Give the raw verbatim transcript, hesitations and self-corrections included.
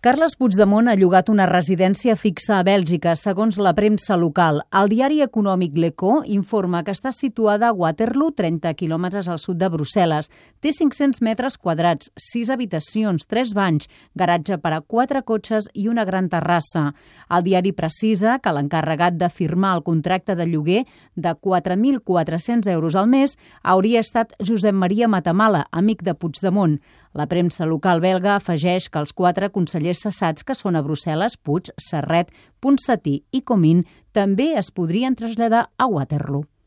Carles Puigdemont ha llogat una residència fixa a Bèlgica, segons la premsa local. El diari econòmic L'Echo informa que està situada a Waterloo, trenta quilòmetres al sud de Brussel·les. Té cinc-cents metres quadrats, sis habitacions, tres banys, garatge per a quatre cotxes i una gran terrassa. El diari precisa que l'encarregat de firmar el contracte de lloguer de quatre mil quatre-cents euros al mes hauria estat Josep Maria Matamala, amic de Puigdemont. La premsa local belga afegeix que els quatre consellers cessats que són a Brussel·les, Puig, Serret, Ponsatí i Comín, també es podrien traslladar a Waterloo.